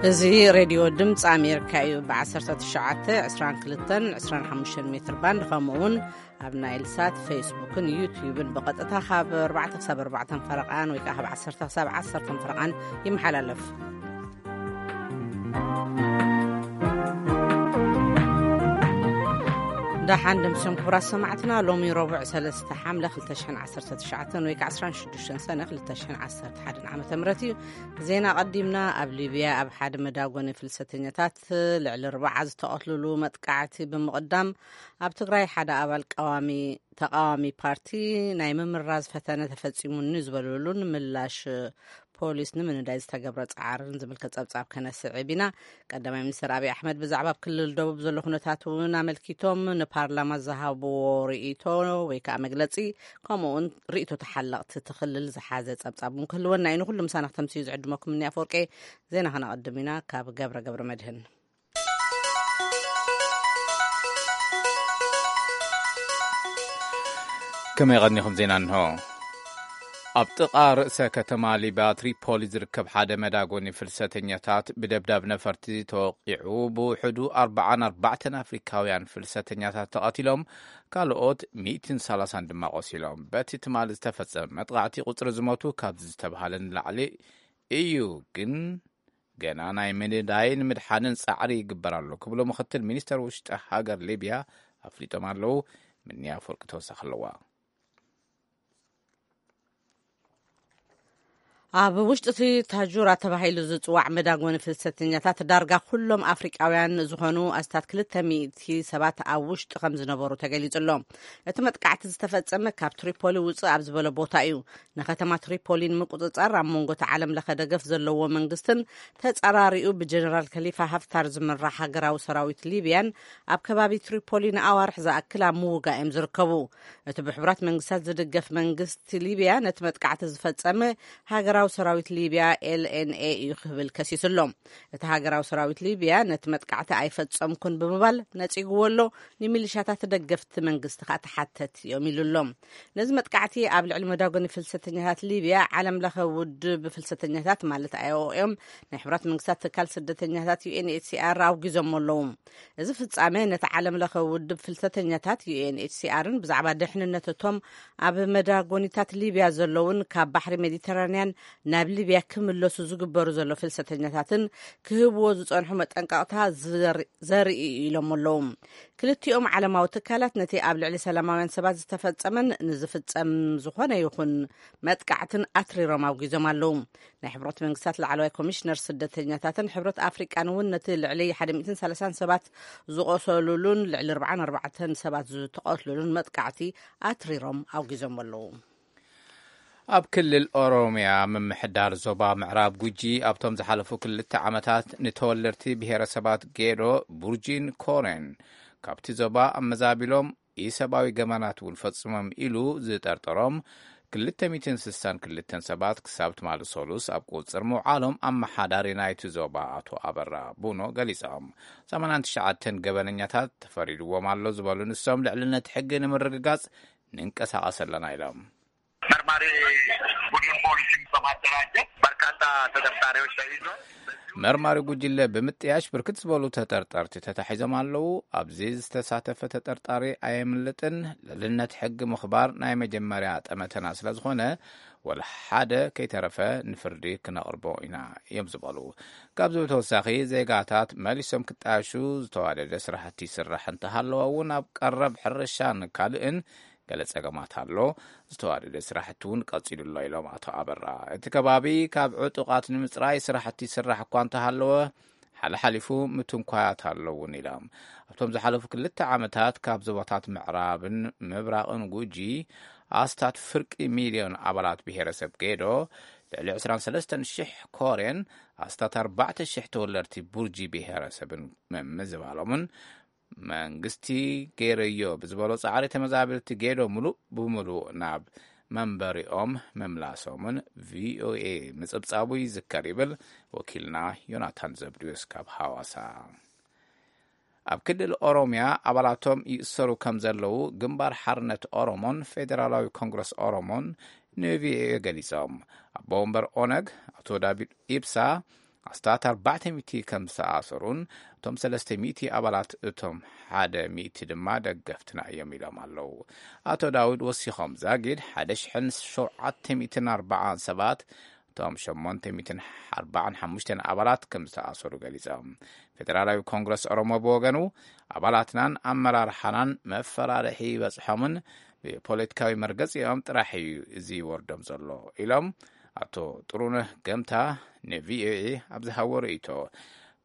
እዚ ሬድዮ ድምፂ ኣሜሪካ እዩ። ብ19፣ 22፣ 25 ሜትር ባንድ፣ ከምኡ እውን ኣብ ናይል ሳት፣ ፌስቡክን ዩቲዩብን ብቐጥታ ካብ ኣርባዕተ ክሳብ ኣርባዕተ ፈረቓን ወይ ከዓ ካብ ዓሰርተ ክሳብ ዓሰርተ ፈረቓን ይመሓላለፍ። ደሓን ደምስዮም ክቡራት ሰማዕትና፣ ሎሚ ረቡዕ ሰለስተ ሓምለ ክልተ ሽሕን ዓሰርተ ትሽዓተን ወይ ከዓ ዓሰርተ ሽዱሽተ ሰነ ክልተ ሽሕን ዓሰርተ ሓደን ዓመተ ምህረት እዩ። ዜና ቀዲምና። ኣብ ሊብያ ኣብ ሓደ መዳጎኒ ፍልሰተኛታት ልዕሊ ኣርባዓ ዝተቐትልሉ መጥቃዕቲ ብምቕዳም፣ ኣብ ትግራይ ሓደ ኣባል ቀዋሚ ተቃዋሚ ፓርቲ ናይ ምምራዝ ፈተነ ተፈጺሙኒ ዝበሉሉን ምላሽ ፖሊስ ንምንዳይ ዝተገብረ ጻዕርን ዝምልከት ጸብጻብ ከነስዕብ ኢና። ቀዳማይ ሚኒስትር ኣብይ ኣሕመድ ብዛዕባ ኣብ ክልል ደቡብ ዘሎ ኩነታት እውን ኣመልኪቶም ንፓርላማ ዝሃብዎ ርእይቶ ወይ ከዓ መግለጺ፣ ከምኡ እውን ርእይቶ ተሓለቕቲ እቲ ክልል ዝሓዘ ጸብጻብ እውን ክህልወና እዩ። ንኩሉ ምሳና ክተምስዩ ዝዕድመኩም እኒ ኣፈወርቂ። ዜና ከነቐድም ኢና ካብ ገብረ ገብረ መድህን። ከመይ ቀኒኹም? ዜና እንሆ። ኣብ ጥቓ ርእሰ ከተማ ሊብያ ትሪፖሊ ዝርከብ ሓደ መዳጎኒ ፍልሰተኛታት ብደብዳብ ነፈርቲ ተወቂዑ፣ ብውሕዱ ኣርባዓን ኣርባዕተን ኣፍሪካውያን ፍልሰተኛታት ተቐቲሎም፣ ካልኦት ሚእትን ሰላሳን ድማ ቆሲሎም። በቲ ትማሊ ዝተፈጸመ መጥቃዕቲ፣ ቁጽሪ ዝሞቱ ካብዚ ዝተባህለ ንላዕሊ እዩ፣ ግን ገና ናይ ምንዳይን ምድሓንን ጻዕሪ ይግበር ኣሎ ክብሉ ምኽትል ሚኒስተር ውሽጢ ሃገር ሊብያ ኣፍሊጦም ኣለዉ። ምንያ ኣፈወርቂ ተወሳኺ ኣለዋ። ኣብ ውሽጢ እቲ ታጁራ ተባሂሉ ዝጽዋዕ መዳጎኒ ፍልሰተኛታት፣ ዳርጋ ኩሎም ኣፍሪቃውያን ዝኾኑ ኣስታት ክልተ ሚእቲ ሰባት ኣብ ውሽጢ ከም ዝነበሩ ተገሊጹ ኣሎ። እቲ መጥቃዕቲ ዝተፈጸመ ካብ ትሪፖሊ ውጽእ ኣብ ዝበለ ቦታ እዩ። ንከተማ ትሪፖሊ ንምቁጽጻር፣ ኣብ መንጎ እቲ ዓለም ለኸ ደገፍ ዘለዎ መንግስትን ተጻራሪኡ ብጀነራል ከሊፋ ሃፍታር ዝምራሕ ሃገራዊ ሰራዊት ሊብያን ኣብ ከባቢ ትሪፖሊ ንኣዋርሕ ዝኣክል ኣብ ምውጋእ እዮም ዝርከቡ። እቲ ብሕቡራት መንግስታት ዝድገፍ መንግስቲ ሊብያ ነቲ መጥቃዕቲ ዝፈጸመ ሃገራዊ ሰራዊት ሊብያ፣ ኤል ኤን ኤ፣ እዩ ክብል ከሲሱ ኣሎ። እቲ ሃገራዊ ሰራዊት ሊብያ ነቲ መጥቃዕቲ ኣይፈጸምኩን ብምባል ነጺግዎ ኣሎ። ንሚሊሻታት ደገፍቲ መንግስቲ ከኣ ተሓተት እዮም ኢሉ ኣሎ። ነዚ መጥቃዕቲ ኣብ ልዕሊ መዳጎኒ ፍልሰተኛታት ሊብያ፣ ዓለም ለኸ ውድብ ፍልሰተኛታት ማለት ኣይ ኦ ኤም፣ ናይ ሕቡራት መንግስታት ትካል ስደተኛታት ዩ ኤን ኤች ሲ ኣር ኣውጊዞም ኣለዉ። እዚ ፍጻመ ነቲ ዓለም ለኸ ውድብ ፍልሰተኛታት ዩ ኤን ኤች ሲ ኣርን ብዛዕባ ድሕንነት እቶም ኣብ መዳጎኒታት ሊብያ ዘለውን ካብ ባሕሪ ሜዲተራንያን ናብ ሊብያ ክምለሱ ዝግበሩ ዘሎ ፍልሰተኛታትን ክህብዎ ዝጸንሑ መጠንቀቕታ ዘር-፣ ዘርኢ እዩ ኢሎም ኣለዉ። ክልቲኦም ዓለማዊ ትካላት ነቲ ኣብ ልዕሊ ሰላማውያን ሰባት ዝተፈጸመን ንዝፍጸም ዝኾነ ይኹን መጥቃዕትን ኣትሪሮም ኣውጊዞም ኣለዉ። ናይ ሕብረት መንግስታት ላዕለዋይ ኮሚሽነር ስደተኛታትን ሕብረት ኣፍሪቃን እውን ነቲ ልዕሊ ሓደ ሚእትን ሰላሳን ሰባት ዝቆሰሉሉን ልዕሊ ኣርባዓን ኣርባዕተን ሰባት ዝተቐትሉሉን መጥቃዕቲ ኣትሪሮም ኣውጊዞም ኣለዉ። ኣብ ክልል ኦሮምያ ምምሕዳር ዞባ ምዕራብ ጉጂ ኣብቶም ዝሓለፉ ክልተ ዓመታት ንተወለድቲ ብሄረሰባት ጌዶ፣ ቡርጂን ኮሬን ካብቲ ዞባ ኣመዛቢሎም ኢሰብኣዊ ገበናት እውን ፈጽሞም ኢሉ ዝጠርጠሮም ክልተ ሚእትን ስሳን ክልተን ሰባት ክሳብ ትማሊ ሰሉስ ኣብ ቁጽር ምውዓሎም ኣመሓዳሪ ናይቲ ዞባ ኣቶ ኣበራ ቡኖ ገሊጾም። ሰማንያን ትሽዓተን ገበነኛታት ተፈሪድዎም ኣሎ ዝበሉ ንሶም፣ ልዕልነት ሕጊ ንምርግጋጽ ንንቀሳቐስ ኣለና ኢሎም። መርማሪ ቡድን ፖሊስን በማደራጀት በርካታ ተጠርጣሪዎች ተይዘው መርማሪ ጉጅለ ብምጥያሽ ብርክት ዝበሉ ተጠርጠርቲ ተታሒዞም ኣለዉ። ኣብዚ ዝተሳተፈ ተጠርጣሪ ኣየምልጥን። ልዕልነት ሕጊ ምኽባር ናይ መጀመርያ ጠመተና ስለ ዝኾነ፣ ወላ ሓደ ከይተረፈ ንፍርዲ ክነቕርቦ ኢና እዮም ዝበሉ። ካብዚ ብተወሳኺ፣ ዜጋታት መሊሶም ክጣየሹ ዝተዋደደ ስራሕቲ ይስራሕ እንተሃለወ እውን፣ ኣብ ቀረብ ሕርሻን ካልእን ገለ ጸገማት ኣሎ። ዝተዋደደ ስራሕቲ እውን ቀጺሉ ኣሎ ኢሎም ኣቶ ኣበራ። እቲ ከባቢ ካብ ዕጡቓት ንምጽራይ ስራሕቲ ይስራሕ እኳ እንተሃለወ፣ ሓለሓሊፉ ምትንኳያት ኣለውን ኢሎም። ኣብቶም ዝሓለፉ ክልተ ዓመታት ካብ ዞባታት ምዕራብን ምብራቕን ጉጂ ኣስታት ፍርቂ ሚልዮን ኣባላት ብሄረሰብ ጌዶ፣ ልዕሊ ዕስራን ሰለስተን ሽሕ ኮሬን ኣስታት ኣርባዕተ ሽሕ ተወለድቲ ቡርጂ ብሄረሰብን ምምዝባሎምን መንግስቲ ገይረዮ ብዝበሎ ጻዕሪ፣ ተመዛበልቲ ጌዶ ምሉእ ብምሉእ ናብ መንበሪኦም ምምላሶምን ቪኦኤ ምጽብጻቡ ይዝከር ይብል ወኪልና ዮናታን ዘብድዮስ ካብ ሃዋሳ። ኣብ ክልል ኦሮምያ ኣባላቶም ይእሰሩ ከም ዘለዉ ግንባር ሓርነት ኦሮሞን ፌደራላዊ ኮንግረስ ኦሮሞን ንቪኦኤ ገሊጾም። ኣቦ ወንበር ኦነግ ኣቶ ዳቪድ ኢብሳ ኣስታት ኣርባዕተ ሚእቲ ከም ዝተኣሰሩን እቶም ሰለስተ ሚእቲ ኣባላት እቶም ሓደ ሚእቲ ድማ ደገፍትና እዮም ኢሎም ኣለዉ። ኣቶ ዳውድ ወሲኾም፣ ዛጊድ ሓደ ሽሕን ሸውዓተ ሚእትን ኣርባዓን ሰባት፣ እቶም ሸሞንተ ሚእትን ኣርባዓን ሓሙሽተን ኣባላት ከም ዝተኣሰሩ ገሊጾም። ፌደራላዊ ኮንግረስ ኦሮሞ ብወገኑ፣ ኣባላትናን ኣመራርሓናን መፈራርሒ ይበጽሖምን ብፖለቲካዊ መርገጺኦም ጥራሕ እዩ እዚ ይወርዶም ዘሎ ኢሎም። ኣቶ ጥሩነህ ገምታ ንቪኦኤ ኣብ ዝሃቦ ርእይቶ፣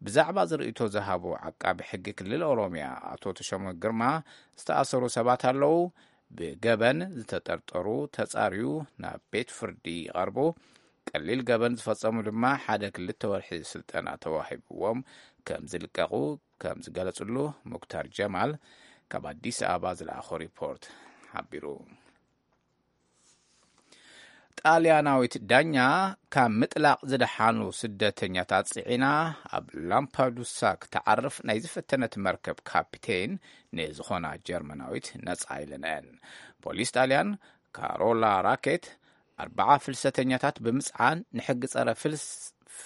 ብዛዕባ ዝርእይቶ ዝሃቡ ዓቃቢ ሕጊ ክልል ኦሮምያ ኣቶ ተሾመ ግርማ፣ ዝተኣሰሩ ሰባት ኣለዉ፣ ብገበን ዝተጠርጠሩ ተጻርዩ ናብ ቤት ፍርዲ ይቐርቡ፣ ቀሊል ገበን ዝፈጸሙ ድማ ሓደ ክልተ ወርሒ ስልጠና ተዋሂብዎም ከም ዝልቀቑ ከም ዝገለጽሉ ሙክታር ጀማል ካብ ኣዲስ ኣበባ ዝለኣኾ ሪፖርት ሓቢሩ። ጣልያናዊት ዳኛ ካብ ምጥላቕ ዝደሓኑ ስደተኛታት ጽዒና ኣብ ላምፓዱሳ ክትዓርፍ ናይ ዝፈተነት መርከብ ካፒቴን ንዝኾና ጀርመናዊት ነጻ ኢለንአን። ፖሊስ ጣልያን ካሮላ ራኬት ኣርባዓ ፍልሰተኛታት ብምጽዓን ንሕጊ ጸረ ፍልስ-፣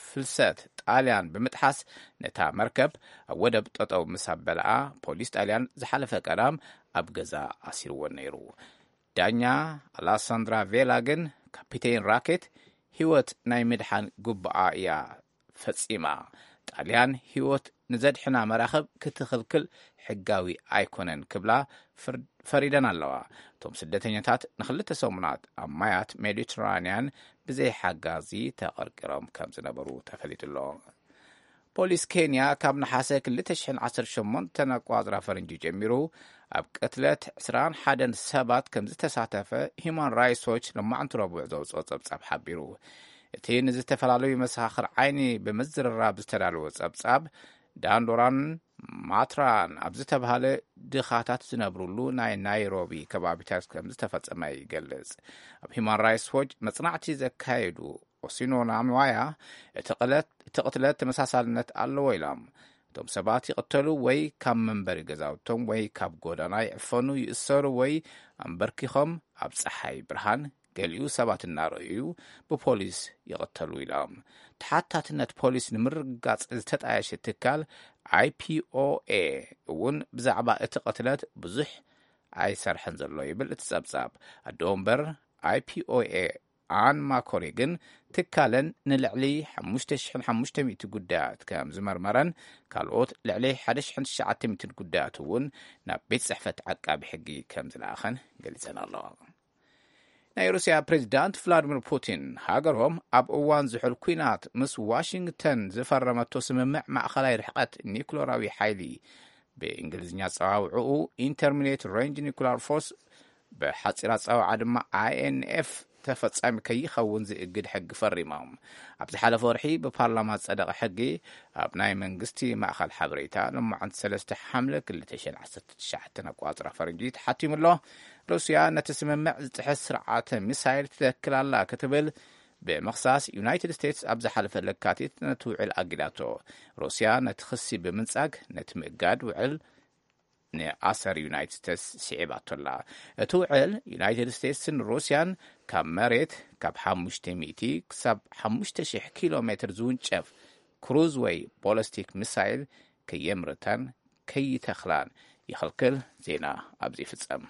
ፍልሰት ጣልያን ብምጥሓስ ነታ መርከብ ኣብ ወደብ ጠጠው ምስ ኣበልኣ ፖሊስ ጣልያን ዝሓለፈ ቀዳም ኣብ ገዛ ኣሲርዎ ነይሩ። ዳኛ ኣላሳንድራ ቬላ ግን ካፒቴን ራኬት ህይወት ናይ ምድሓን ግቡኣ እያ ፈጺማ። ጣልያን ህይወት ንዘድሕና መራኽብ ክትኽልክል ሕጋዊ ኣይኮነን ክብላ ፍር-፣ ፈሪደን ኣለዋ። እቶም ስደተኛታት ንኽልተ ሰሙናት ኣብ ማያት ሜዲትራንያን ብዘይ ሓጋዚ ተቐርቂሮም ከም ዝነበሩ ተፈሊጡ ኣሎ። ፖሊስ ኬንያ ካብ ነሓሰ ክልተ ሽሕን ዓሰርተ ሸሞንተን ኣቋጽራ ፈረንጂ ጀሚሩ ኣብ ቅትለት ዕስራን ሓደን ሰባት ከም ዝተሳተፈ ሂማን ራይትስ ዎች ሎማዕንቲ ረቡዕ ዘውፅኦ ጸብጻብ ሓቢሩ። እቲ ንዝተፈላለዩ መሰኻኽር ዓይኒ ብምዝርራብ ዝተዳለወ ጸብጻብ፣ ዳንዶራን ማትራን ኣብ ዝተባህለ ድኻታት ዝነብሩሉ ናይ ናይሮቢ ከባቢታት ከም ዝተፈጸመ ይገልጽ። ኣብ ሂማን ራይትስ ዎች መጽናዕቲ ዘካየዱ ኦሲኖ ናምዋያ፣ እቲ ቅለት-፣ እቲ ቅትለት ተመሳሳልነት ኣለዎ ኢሎም። እቶም ሰባት ይቕተሉ ወይ ካብ መንበሪ ገዛውቶም ወይ ካብ ጎዳና ይዕፈኑ፣ ይእሰሩ ወይ ኣንበርኪኾም ኣብ ጸሓይ ብርሃን ገሊኡ ሰባት እናረኣዩ ብፖሊስ ይቕተሉ ኢሎም። ተሓታትነት ፖሊስ ንምርግጋጽ ዝተጣየሸ ትካል ኣይፒኦኤ እውን ብዛዕባ እቲ ቅትለት ብዙሕ ኣይሰርሐን ዘሎ ይብል እቲ ጸብጻብ። ኣደ ወንበር ኣይፒኦኤ ኣን ማኮሪ ግን ትካለን ንልዕሊ ሓሙሽተ ሽሕን ሓሙሽተ ሚእቲ ጉዳያት ከም ዝመርመረን ካልኦት ልዕሊ ሓደ ሽሕን ትሽዓተ ሚእትን ጉዳያት እውን ናብ ቤት ጽሕፈት ዓቃቢ ሕጊ ከም ዝለኣኸን ገሊጸን ኣለዋ። ናይ ሩስያ ፕሬዚዳንት ቭላዲሚር ፑቲን ሃገሮም ኣብ እዋን ዝሑል ኲናት ምስ ዋሽንግተን ዝፈረመቶ ስምምዕ ማእኸላይ ርሕቀት ኒኩለራዊ ሓይሊ፣ ብእንግሊዝኛ ኣጸዋውዕኡ ኢንተርሚዲየት ሬንጅ ኒኩላር ፎርስ፣ ብሓጺር ኣጸዋውዓ ድማ ኣይኤንኤፍ፣ ተፈጻሚ ከይኸውን ዝእግድ ሕጊ ፈሪሞም። ኣብ ዝሓለፈ ወርሒ ብፓርላማ ዝጸደቐ ሕጊ ኣብ ናይ መንግስቲ ማእኸል ሓበሬታ ሎማዕንቲ ሰለስተ ሓምለ ክልተ ሽሕን ዓሰርተ ትሽዓተን ኣቋጽራ ፈረንጂ ተሓቲሙ ኣሎ። ሩስያ ነቲ ስምምዕ ዝጥሕስ ስርዓተ ሚሳይል ትተክል ኣላ ክትብል ብምኽሳስ፣ ዩናይትድ ስቴትስ ኣብ ዝሓለፈ ለካቲት ነቲ ውዕል ኣጊዳቶ። ሩስያ ነቲ ክሲ ብምንጻግ ነቲ ምእጋድ ውዕል ንኣሰር ዩናይትድ ስቴትስ ስዒባቶ ኣላ። እቲ ውዕል ዩናይትድ ስቴትስን ሩስያን ካብ መሬት ካብ ሓሙሽተ ሚእቲ ክሳብ ሓሙሽተ ሽሕ ኪሎ ሜትር ዝውንጨፍ ክሩዝ ወይ ቦለስቲክ ሚሳይል ከየምርታን ከይተኽላን ይኽልክል። ዜና ኣብዚ ይፍጸም።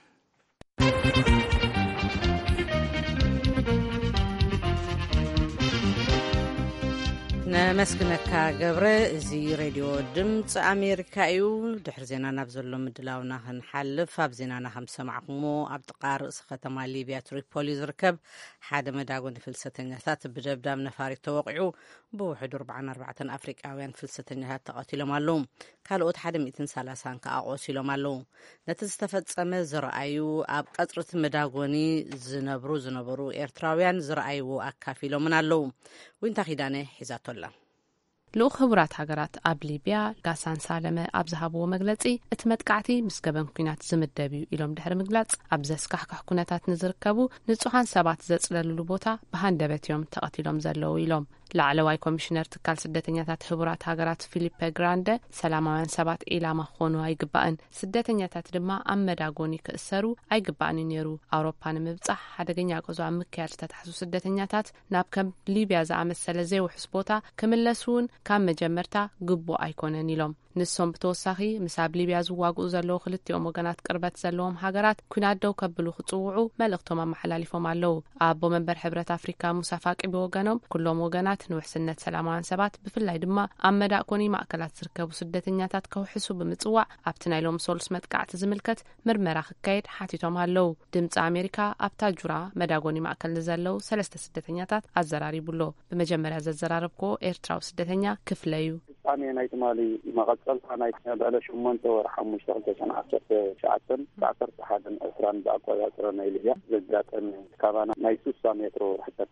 ነመስግነካ ገብረ። እዚ ሬድዮ ድምፂ ኣሜሪካ እዩ። ድሕሪ ዜና ናብ ዘሎ ምድላውና ክንሓልፍ፣ ኣብ ዜናና ከም ዝሰማዕኩሞ ኣብ ጥቓ ርእሲ ከተማ ሊብያ ትሪፖሊ ዝርከብ ሓደ መዳጎኒ ፍልሰተኛታት ብደብዳብ ነፋሪት ተወቂዑ ብውሕዱ ኣርባዓን ኣርባዕተን ኣፍሪቃውያን ፍልሰተኛታት ተቐቲሎም ኣለዉ። ካልኦት ሓደ ሚእትን ሰላሳን ከኣ ቆሲሎም ኣለዉ። ነቲ ዝተፈጸመ ዝረኣዩ ኣብ ቀጽሪ እቲ መዳጎኒ ዝነብሩ ዝነበሩ ኤርትራውያን ዝረኣይዎ ኣካፊሎምን ኣለዉ። ዊንታ ኪዳነ ሒዛቶ ኣላ። ልኡኽ ህቡራት ሃገራት ኣብ ሊብያ ጋሳን ሳለመ ኣብ ዝሃብዎ መግለጺ፣ እቲ መጥቃዕቲ ምስ ገበን ኲናት ዝምደብ እዩ ኢሎም ድሕሪ ምግላጽ፣ ኣብ ዘስካሕክሕ ኩነታት ንዝርከቡ ንጹሃን ሰባት ዘጽለልሉ ቦታ ብሃንደበት እዮም ተቐቲሎም ዘለዉ ኢሎም። ላዕለዋይ ኮሚሽነር ትካል ስደተኛታት ህቡራት ሃገራት ፊሊፐ ግራንደ፣ ሰላማውያን ሰባት ኢላማ ክኾኑ ኣይግባእን፣ ስደተኛታት ድማ ኣብ መዳጎኒ ክእሰሩ ኣይግባእን እዩ ነይሩ። ኣውሮፓ ንምብጻሕ ሓደገኛ ጉዕዞ ኣብ ምክያድ ዝተታሕዙ ስደተኛታት ናብ ከም ሊብያ ዝኣመሰለ ዘይውሑስ ቦታ ክምለሱ እውን ካብ መጀመርታ ግቡእ ኣይኮነን ኢሎም። ንሶም ብተወሳኺ ምስ ኣብ ሊብያ ዝዋግኡ ዘለዉ ክልቲኦም ወገናት ቅርበት ዘለዎም ሃገራት ኲናት ደው ከብሉ ክጽውዑ መልእኽቶም ኣመሓላሊፎም ኣለዉ። ኣቦ መንበር ሕብረት ኣፍሪካ ሙሳ ፋቂ ብወገኖም፣ ኩሎም ወገናት ንውሕስነት ሰላማውያን ሰባት፣ ብፍላይ ድማ ኣብ መዳእኮኒ ማእከላት ዝርከቡ ስደተኛታት ከውሕሱ ብምጽዋዕ፣ ኣብቲ ናይ ሎሚ ሰሉስ መጥቃዕቲ ዝምልከት ምርመራ ክካየድ ሓቲቶም ኣለዉ። ድምፂ ኣሜሪካ ኣብ ታጁራ መዳጎኒ ማእከል ንዘለዉ ሰለስተ ስደተኛታት ኣዘራሪቡ ኣሎ። ብመጀመርያ ዘዘራረብክዎ ኤርትራዊ ስደተኛ ክፍለ እዩ። ፍጻሜ ናይ ትማሊ መቐጸልታ ናይ በዓለ ሸሞንተ ወርሒ ሓሙሽተ ክልተ ሽሕን ዓሰርተ ትሽዓተን ዓሰርተ ሓደን ዕስራን ብኣቆጻጽራ ናይ ሊብያ ዘጋጠመ፣ ካባና ናይ ሱሳ ሜትሮ ርሕቀት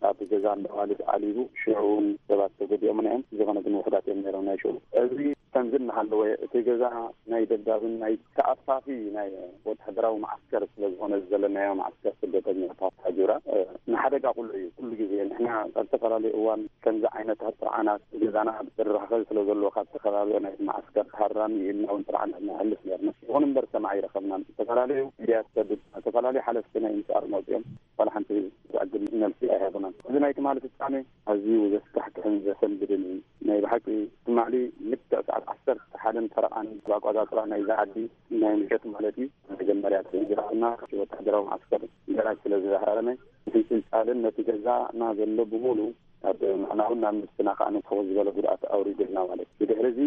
ኣብ ገዛ እንዳዋልድ ዓሊቡ፣ ሽዑ እውን ሰባት ተጎዲኦምና እዮም። ዝኾነ ግን ውሑዳት እዮም ነይሮም ናይ ሽዑ። እዚ ከምዚ እናሃለወ፣ እቲ ገዛ ናይ ደብዳብን ናይ ተኣፋፊ ናይ ወተሃደራዊ መዓስከር ስለ ዝኾነ፣ እዚ ዘለናዮ መዓስከር ስደተኛታት ታጁራ፣ እ፣ ንሓደጋ ኩሉ እዩ። ኩሉ ግዜ ንሕና ኣብ ዝተፈላለዩ እዋን ከምዚ ዓይነት ጥርዓናት ገዛና ዝራኸብ ስለ ዘሎ፣ ካብ ዝተፈላለዩ ናይ መዓስከር ሃራን ይህልና እውን ጥርዓናት ነሕልፍ ነርና። ይኹን እምበር ሰማዕ ኣይረኸብናን። ዝተፈላለዩ ሚድያ ዝሰድድ፣ ዝተፈላለዩ ሓለፍቲ ናይ ኤምኤስኣር መፅኦም ዋላ ሓንቲ ዘዕግብ መልሲ ኣይሃቡናን። እዚ ናይ ትማሊ ፍጻሜ ኣዝዩ ዘስካሕክሕን ዘሰንብድን እዩ። ናይ ብሓቂ ትማሊ ልክዕ ሰዓት ዓሰርተ ሓደን ፈረቓን ብኣቆጻጽራ ናይዛ ዓዲ፣ ናይ ምሸት ማለት እዩ፣ መጀመርያ ተሰንዚራትና፣ ወተሃደራዊ መዓስከር ገራጅ ስለ ዝሃረመ፣ እቲ ጽልጻልን ነቲ ገዛና ዘሎ ብምሉእ ኣብ ንሕናውን ናብ ነብስና ከኣ ንስኹ ዝበለ ጉድኣት ኣውሪዱልና ማለት እዩ። ብድሕሪ እዚ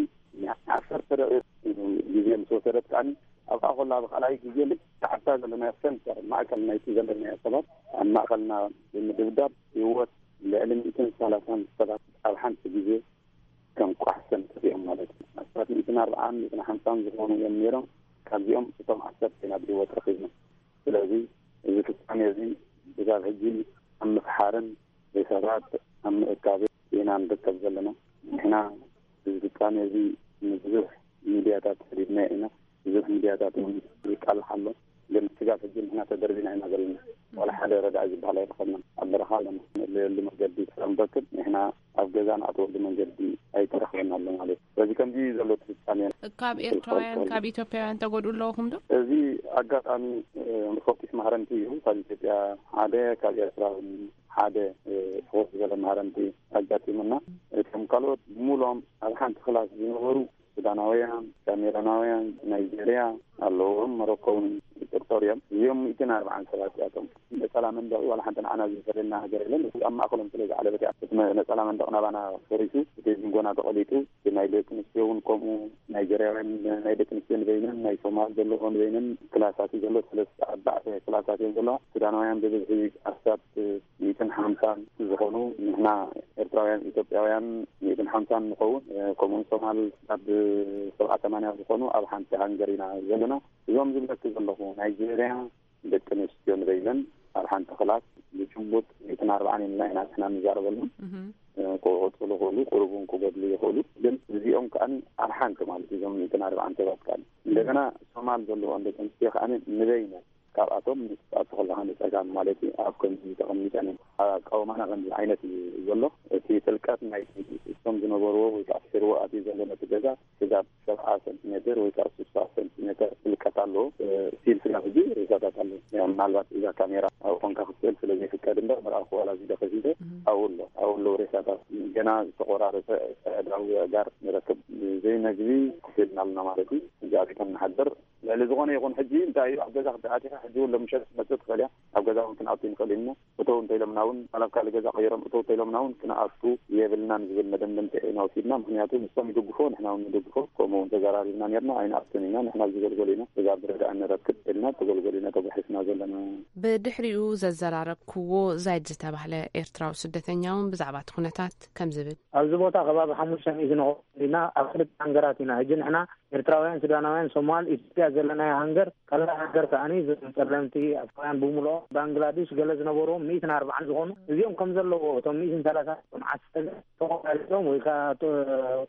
ዓሰርተ ደቂቕ ግዜ ምስ ወሰደት ከኣ፣ ኣብኣ ኮላ ብኻልኣይ ግዜ ልክዕ ኣብታ ዘለናዮ ሰንተር፣ ማእከል ናይቲ ዘለናዮ ሰባት ኣብ ማእከልና ብምድብዳብ፣ ህይወት ልዕሊ ሚእትን ሰላሳን ሰባት ኣብ ሓንቲ ግዜ ከም ቋሕሰን ጠፊኦም ማለት እዩ። ኣስታት ሚእትን ኣርብዓን ሚእትን ሓምሳን ዝኾኑ እዮም ነይሮም። ካብዚኦም እቶም ዓሰርተ ኢና ብህይወት ረኺብና። ስለዚ እዚ ፍጻሜ እዚ ክሳብ ሕጂ ኣብ ምፍሓርን ሬሳታት ኣብ ምእካብን ኢና ንርከብ ዘለና። ንሕና እዚ ፍጻሜ እዚ ንብዙሕ ሚድያታት ሰዲድናዮ ኢና። ብዙሕ ሚድያታት እውን ይቃልሕ ኣሎ። ግን ስጋብ ሕጂ ንሕና ተደርቢና ኢና ዘለና። ዋላ ሓደ ረዳኢ ዝበሃል ኣይረኸብናን። ኣብ በረኻ ኣለና። ንእለየሉ መገዲ ክሳብ ንረክብ፣ ንሕና ኣብ ገዛ ንኣትወሉ መንገዲ ኣይተረኽበን ኣሎ ማለት እዩ። ስለዚ ከምዚ እዩ ዘሎ እቲ ፍጻሜ። ካብ ኤርትራውያን፣ ካብ ኢትዮጵያውያን ተጎድኡ ኣለውኹም ዶ? እዚ ኣጋጣሚ፣ እ፣ ፈኲስ ማህረምቲ እዩ። ካብ ኢትዮጵያ ሓደ፣ ካብ ኤርትራ እውን ሓደ፣ እ፣ ፍኹስ ዝበለ ማህረምቲ ኣጋጢሙና። እቶም ካልኦት ብምሉኦም ኣብ ሓንቲ ክላስ ዝነበሩ ሱዳናውያን፣ ካሜሮናውያን፣ ናይጄርያ ኣለዎም፣ መሮኮ እውን ይጥርጠሩ እዮም። እዚኦም ሚእትን ኣርብዓን ሰባት እያቶም። ነጸላ መንደቕ ዋላ ሓንቲ ንዓና ዝፈልየና ነገር የለን። ኣብ ማእከሎም ስለ ዝዓለበት እያ። እቲ መ-፣ ነጸላ መንደቕ ናባና ፈሪሱ፣ እቲ ዝንጎና ተቐሊጡ፣ እቲ ናይ ደቂ ኣንስትዮ እውን ከምኡ፣ ናይጄርያውያን ናይ ደቂ ኣንስትዮ ንበይነን፣ ናይ ሶማል ዘለዎ ንበይነን ክላሳት እዩ ዘሎ። ሰለስተ ኣርባዕተ ክላሳት እዮም ዘለዋ። ሱዳናውያን ብብዝሒ ኣስታት ሚእትን ሓምሳን ዝኾኑ፣ ንሕና ኤርትራውያን ኢትዮጵያውያን ሚእትን ሓምሳን ንኸውን፣ እ፣ ከምኡውን ሶማል ኣብ ሰብዓ ሰማንያ ዝኾኑ ኣብ ሓንቲ ሃንገር ኢና ዘለና። እዞም ዝብለኪ ዘለኹ ናይጄርያ ደቂ ኣንስትዮ ንበይነን ኣብ ሓንቲ ክላስ ብጭቡጥ ሚእትን ኣርብዓን ኢልና ኢና ንሕና ንዛረበሉ። እህም። እ፣ ክቕጽሉ ይኽእሉ፣ ቁሩብ እውን ክጎድሉ ይኽእሉ። ግን እዚኦም ከኣ ኣብ ሓንቲ ማለት እዩ፣ እዞም ሚእትን ኣርብዓን ሰባት ከኣ። እንደገና ሶማል ዘለዎን ደቂ ኣንስትዮ ከኣ ንበይነን ካብኣቶም ምስ ትኣቱ ከለኻ ንጸጋም ማለት እዩ። ኣብ ከምዚ ተቐሚጠን እዮም። ኣቃውማና ከምዚ ዓይነት እዩ ዘሎ። እቲ ጥልቀት ናይ እቶም ዝነበርዎ ወይ ከዓ ስርዎ ኣትዩ ዘሎ ነቲ ገዛ ስጋብ ሰብዓ ሰንቲሜትር ወይ ከዓ ስሳ ሰንቲሜትር ጥልቀት ኣለዎ። እ፣ ስቲል ስጋብ ሕጂ ሬሳታት ኣለዉ። ያው ምናልባት እዛ ካሜራ ኣብኡ ኮንካ ክትስእል ስለ ዘይፍቀድ እምበር፣ መርኣኹ ዋላ እዚ ዶ ከፊተ፣ እም። ኣብኡ ኣሎ፣ ኣብኡ ኣለዉ ሬሳታት። ገና ዝተቆራረሰ ኣእዳው ኣእጋር ንረክብ። ዘይመግቢ ኮፍ ኢልና ኣለና ማለት እዩ። እዚ ኣቢቶም ንሓድር። ልዕሊ ዝኾነ ይኹን ሕጂ እንታይ እዩ፣ ኣብ ገዛ ክትኣቲኻ ሕጂ እውን ሎምሸት ክትመጽእ ትኽእል እያ። ኣብ ገዛ እውን ክንኣቱ ንኽእል ኢና። እተው እንተኢሎምና እውን፣ ዋላ ኣብ ካልእ ገዛ ቀይሮም እተው እንተኢሎምና እውን፣ ክንኣቱ የብልናን ዝብል መደምደምታ ኢና ወሲድና። ምኽንያቱ ንሶም ይድግፎ፣ ንሕና እውን ንድግፎ። ከምኡ እውን ተዘራሪብና ነርና፣ ኣይንኣቱን ኢና፣ ንሕና ዝገልገሉ ኢና፣ ስጋብ ዝረዳእ ንረክብ ኢልና ተገልገሉ ኢና ተጓሒስና ዘለና። ብድሕሪኡ ዘዘራረብክዎ ዛይድ ዝተባህለ ኤርትራዊ ስደተኛ እውን ብዛዕባ እቲ ኩነታት ከም ዝብል። ኣብዚ ቦታ ከባቢ ሓሙሽተ ሚእቲ ንኸውን ኢና፣ ኣብ ክልተ ሃንገራት ኢና። ሕጂ ንሕና ኤርትራውያን፣ ሱዳናውያን፣ ሶማል፣ ኢትዮጵያ ዘለናዮ ሃንገር፣ ካልእ ሃንገር ከኣኒ፣ እዞም ጸለምቲ ኣፍሪቃውያን ብምልኦም፣ ባንግላዴሽ፣ ገለ ዝነበርዎም ሚእትን ኣርባዓን ዝኾኑ፣ እዚኦም ከም ዘለዎ፣ እቶም ሚእትን ሰላሳን ዓሰርተ ተቖራሪጾም ወይ ከኣ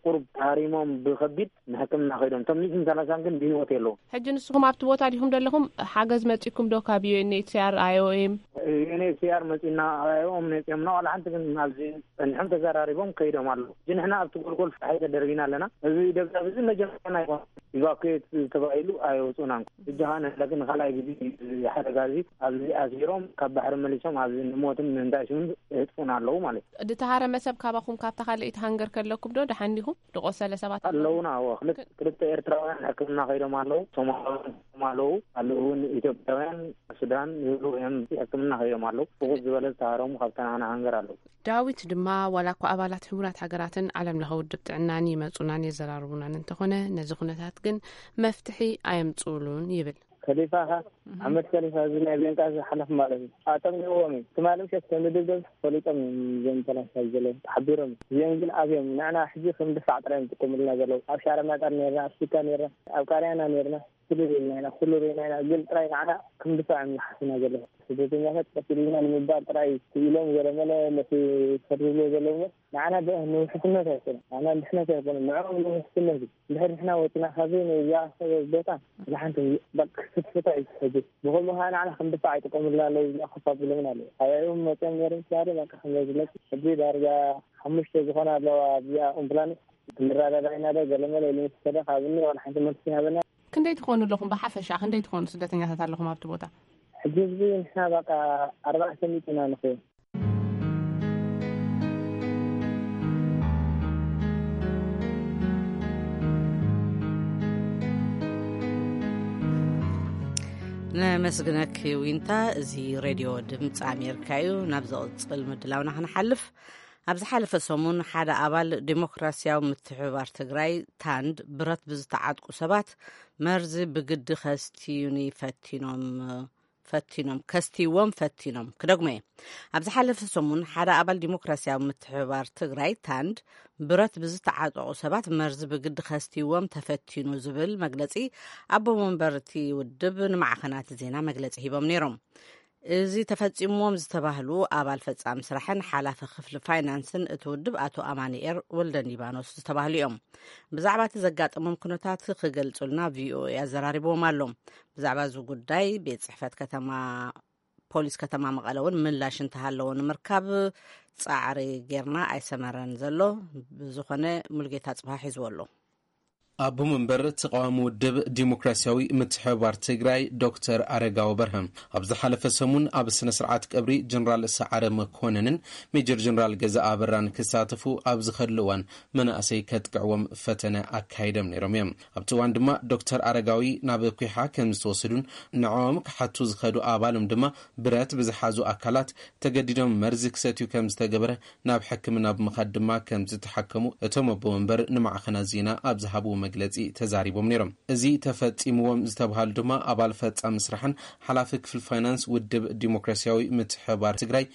ቁሩብ ተሃሪሞም ብኸቢድ ንሕክምና ከይዶም። እቶም ሚእትን ሰላሳን ግን ብህይወት የለዉ። ሕጂ ንስኹም ኣብቲ ቦታ ዲኹም ዘለኹም? ሓገዝ መጺኩም ዶ ካብ ዩ ኤን ኤች ሲ ኣር፣ ኣይ ኦ ኤም? ዩ ኤን ኤች ሲ ኣር መጺና፣ ኣይ ኦ ኤም መጺኦምና፣ ዋላ ሓንቲ ግን ኣብዚ ጸኒሖም ተዘራሪቦም ከይዶም ኣለዉ። ሕጂ ንሕና ኣብቲ ጎልጎል ፍትሒ ተደርቢና ኣለና። እዚ ደብዳብ እዚ መጀመርያ ኣይኮነን። ኢቫኩዌት ተባሂሉ ኣይወጹናን። ሕጂ ኸኣ ንሕና ግን ንኻልኣይ ግዜ እዚ ሓደጋ እዚ ኣብዚ ኣሲሮም ካብ ባሕሪ መሊሶም ኣብዚ ንሞትን ንእንዳሽምን የህጥፉና ኣለዉ ማለት እዩ። ድተሃረመ ሰብ ካባኹም ካብታ ካልኣይቲ ሃንገር ከለኩም ዶ ደሓን ዲኹም? ድቆሰለ ሰባት ኣለዉ? ኣለዉና። እዎ፣ ክልተ፣ ክልተ ኤርትራውያን ሕክምና ከይዶም ኣለዉ። ሶማላውያን ከይዶም ኣለዉ። ኣለዉ እውን ኢትዮጵያውያን፣ ሱዳን ይብሉ እዮም። ሕክምና ከይዶም ኣለዉ። ብቑጽ ዝበለ ዝተሃረሙ ካብታ ናና ሃንገር ኣለዉ። ዳዊት ድማ ዋላ እኳ ኣባላት ሕቡራት ሃገራትን ዓለም ለኸ ውድብ ጥዕናን ይመጹናን የዘራርቡናን እንተኾነ፣ ነዚ ኩነታት ግን መፍትሒ ኣየምጽኡሉን ይብል። ከሊፋኻ፣ ኣሕመድ ከሊፋ፣ እዚ ናይ ቤንቃ ዝሓለፍ ማለት እዩ። ኣጠምቂዎም እዩ። ትማሊ ምሸት ከም ዝድብደብ ፈሊጦም እዮም እዞም ፈላስፋ ዘለዉ፣ ተሓቢሮም እዮም። እዚኦም ግን ኣብዮም ንዕና ሕጂ ከም ድፋዕ ጥራይ እዮም ዝጥቀሙልና ዘለዉ። ኣብ ሻረ ማጣር ነርና፣ ኣብ ሱካ ነርና፣ ኣብ ቃርያና ነርና፣ ኩሉ ርኢና ኢና፣ ኩሉ ርኢና ኢና። ግን ጥራይ ንዓና ከም ድፋዕ እዮም ዝሓስቡና ዘለዉ። ስደተኛታት ቀስ ኢልና ንምባል ጥራይ ክኢሎም ገለመለ ነቲ ዝፈርድዎ ዘለዉ እሞ ንዓና ብ-፣ ንውሕስነት ኣይኮነን። ንዓና ንድሕነት ኣይኮነን። ንዕኦም ንውሕስነት እዩ። እንድሕር ንሕና ወፂና ካብዚ ነዚኣ ሰብ ቦታ ብሓንቲ በቃ ክትፍታ እዩ ትሕጂ። ብኸምኡ ከዓ ንዓና ከም ድፋዕ ይጥቀሙልና ኣለዉ። እዚኣ ከፋ ብሎምን ኣለዉ። ኣብኦም መፅኦም ነይሮም ትባህለ በቃ ከም ዝለቅ ሕጂ ዳርጋ ሓሙሽተ ዝኾና ኣለዋ ኣብዚኣ ኦምፕላኔት። ክንረዳዳ ኢና ዶ ገለመለ ኢሉ ምስ ከደ ካብኒ ዋላ ሓንቲ መልሲ ይሃበና። ክንደይ ትኾኑ ኣለኹም? ብሓፈሻ ክንደይ ትኾኑ ስደተኛታት ኣለኹም ኣብቲ ቦታ? ሕጂ ህዝቢ ንሕና በቃ ኣርባዕተ ሚእቲ ኢና ንኸውን። ነመስግነኪ ዊንታ። እዚ ሬድዮ ድምፂ ኣሜሪካ እዩ። ናብ ዝቕፅል ምድላውና ክንሓልፍ፣ ኣብ ዝሓለፈ ሰሙን ሓደ ኣባል ዴሞክራሲያዊ ምትሕብባር ትግራይ፣ ታንድ፣ ብረት ብዝተዓጥቁ ሰባት መርዚ ብግዲ ከስትዩኒ ፈቲኖም ፈቲኖም፣ ከስትይዎም ፈቲኖም። ክደግሞ እየ። ኣብ ዝሓለፈ ሰሙን ሓደ ኣባል ዲሞክራሲያዊ ምትሕብባር ትግራይ፣ ታንድ፣ ብረት ብዝተዓጠቑ ሰባት መርዚ ብግዲ ከስትይዎም ተፈቲኑ ዝብል መግለጺ ኣቦ መንበር እቲ ውድብ ንማዕኸናት ዜና መግለጺ ሂቦም ነይሮም። እዚ ተፈጺምዎም ዝተባህሉ ኣባል ፈጻሚ ስራሕን ሓላፊ ክፍሊ ፋይናንስን እቲ ውድብ ኣቶ ኣማኑኤል ወልደ ሊባኖስ ዝተባህሉ እዮም። ብዛዕባ እቲ ዘጋጠሞም ኩነታት ክገልጹልና ቪኦኤ ኣዘራሪብዎም ኣሎ። ብዛዕባ እዚ ጉዳይ ቤት ጽሕፈት ከተማ፣ ፖሊስ ከተማ መቐለ እውን ምላሽ እንተሃለዎ ንምርካብ ጻዕሪ ጌርና ኣይሰመረን ዘሎ። ብዝኾነ ሙልጌታ ጽብሃ ሒዝዎ ኣሎ። ኣቦ መንበር ተቓዋሚ ውድብ ዲሞክራሲያዊ ምትሕብባር ትግራይ ዶክተር ኣረጋዊ በርሀ ኣብ ዝሓለፈ ሰሙን ኣብ ስነ ስርዓት ቀብሪ ጀነራል ሰዓረ መኮነንን ሜጀር ጀነራል ገዛ ኣበራን ክሳተፉ ኣብ ዝኸድሉ እዋን መናእሰይ ከጥቅዕዎም ፈተነ ኣካይዶም ነይሮም እዮም። ኣብቲ እዋን ድማ ዶክተር ኣረጋዊ ናብ ኲሓ ከም ዝተወሰዱን ንዕኦም ክሓቱ ዝኸዱ ኣባሎም ድማ ብረት ብዝሓዙ ኣካላት ተገዲዶም መርዚ ክሰትዩ ከም ዝተገበረ፣ ናብ ሕክምና ብምኻድ ድማ ከም ዝተሓከሙ እቶም ኣቦ መንበር ንማዕኸናት ዜና ኣብ ዝሃብዎ መግለጺ ተዛሪቦም ነይሮም። እዚ ተፈጺምዎም ዝተብሃሉ ድማ ኣባል ፈጻሚ ስራሕን ሓላፊ ክፍሊ ፋይናንስ ውድብ ዲሞክራሲያዊ ምትሕብባር ትግራይ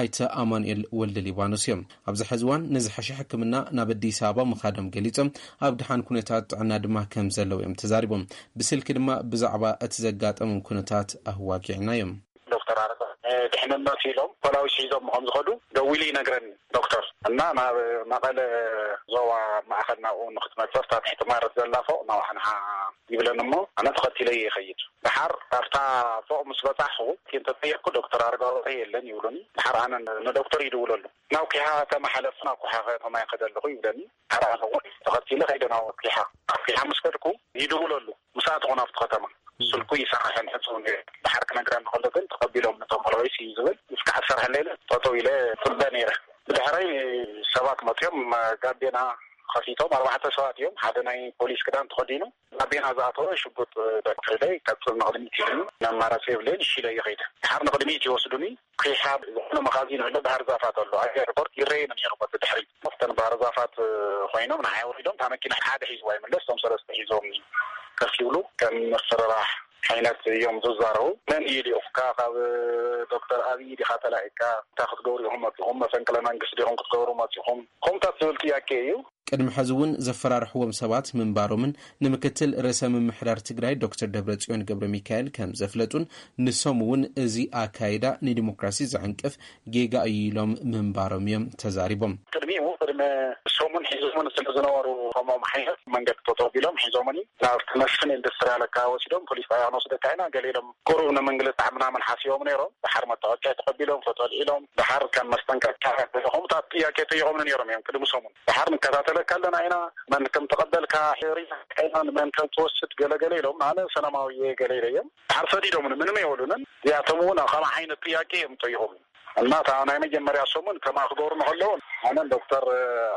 ኣይተ ኣማኑኤል ወልደ ሊባኖስ እዮም። ኣብዚ ሕዚ እዋን ንዝሐሸ ሕክምና ናብ ኣዲስ ኣበባ ምኻዶም ገሊጾም፣ ኣብ ድሓን ኩነታት ጥዕና ድማ ከም ዘለዉ እዮም ተዛሪቦም። ብስልኪ ድማ ብዛዕባ እቲ ዘጋጠሞም ኩነታት ኣዋጊዕና እዮም። ዶክተር ኣረጋ፣ እ፣ ድሕንነት ኢሎም ፖላዊስ ሒዞም ከም ዝኸዱ ደዊሉ ይነግረኒ ዶክተር። እና ናብ መቐለ ዞባ ማእኸል ናብኡ ንክትመፅእ ኣብታ ትሕቲ ማረት ዘላ ፎቕ ናባኻ ንዓ ይብለኒ እሞ ኣነ ተኸቲለ ይኸይድ። ደሓር ኣብታ ፎቕ ምስ በፃሕኹ እንተጠየቅኩ ዶክተር ኣረጋዊ የለን ይብሉኒ። ደሓር ኣነ ን-፣ ንዶክተር ይድውለሉ። ናብ ኲሓ ተመሓለፍ፣ ናብ ኲሓ ከተማ ይኸደ ኣለኹ ይብለኒ። ደሓር ኣነ እውን ተኸቲለ ከይደ ናብ ኲሓ። ኣብ ኲሓ ምስ ከድኩ ይድውለሉ። ምስ ኣተኹ ናብቲ ከተማ ስልኩ ይሰርሕን ሕጹውን እዩ። ደሓር ክነግረኒ ከሎ ግን ተቐቢሎም ነቶም ፖላዊስ እዩ ዝብል። እስካዕ ዝሰርሐለይ ኢለ ጠጠው ኢለ ጽበ ነይረ። ብድሕረይ ሰባት መጺኦም ጋቤና ከፊቶም ኣርባዕተ ሰባት እዮም። ሓደ ናይ ፖሊስ ክዳን ተኸዲኑ ጋቤና ዝኣተወ ሽጉጥ ደቅዒለይ ቀጽል ንቕድሚት ኢሉኒ። ኣማራጺ የብለይን፣ እሺ ኢለ እየ ከይደ። ደሓር ንቕድሚት ይወስዱኒ። ኲሓ ዝኾነ መኻዚን ኣሎ፣ ባህር ዛፋት ኣሎ። ኣብ ኤርፖርት ይረኣየኒ ነይሩ በቲ ድሕሪት። ኣብተን ባህር ዛፋት ኮይኖም ንዓይ ኣውሪዶም፣ እታ መኪና ሓደ ሒዝዋ ይምለስ፣ እቶም ሰለስተ ሒዞም ከፍ ይብሉ፣ ከም ምፍርራሕ ዓይነት እዮም ዝዛረቡ። መን እዩ ልኡኽካ? ካብ ዶክተር ኣብይ ዲኻ ተላኢካ? እንታይ ክትገብሩ ኢኹም መፂኹም? መፈንቅለ መንግስቲ ዲኹም ክትገብሩ መፂኹም? ከምታት ዝብል ጥያቄ እዩ። ቅድሚ ሕዚ እውን ዘፈራርሕዎም ሰባት ምንባሮምን ንምክትል ርእሰ ምምሕዳር ትግራይ ዶክተር ደብረጽዮን ገብረ ሚካኤል ከም ዘፍለጡን፣ ንሶም እውን እዚ ኣካይዳ ንዲሞክራሲ ዘዕንቅፍ ጌጋ እዩ ኢሎም ምንባሮም እዮም ተዛሪቦም። ቅድሚኡ ቅድሚ ሰሙን ሒዞምን ስለ ዝነበሩ፣ ከምኦም ዓይነት መንገዲ ጠጠው ቢሎም ሒዞምኒ ናብ መስፍን ኢንዱስትሪ ኣለካ ወሲዶም ፖሊስ ጣብያ ክንወስደካ ኢና፣ ገለ ኢሎም ቁሩብ ንምንግልታዕ ምናምን ሓሲቦም ነይሮም። ድሓር መታወቂያ ተቐቢሎም ፎቶ ኣልዒሎም፣ ድሓር ከም መስጠንቀቅታ ከምታት ጥያቄ ጠይቆምኒ ነይሮም እዮም ቅድሚ ሰሙን። ድሓር ንከታተለካ ኣለና ኢና፣ መን ከም ተቐበልካ ሪኢና ኢና፣ ንመን ከም ትወስድ ገለገለ ኢሎም። ኣነ ሰላማዊ እየ ገለ ኢለ እዮም። ድሓር ሰዲዶምኒ፣ ምንም የበሉንን። እዚኣቶም እውን ከም ዓይነት ጥያቄ እዮም ጠይቆምኒ። እና እታ ናይ መጀመርያ ሰሙን ከምኣ ክገብሩ ንከለዉ ኣነን ዶክተር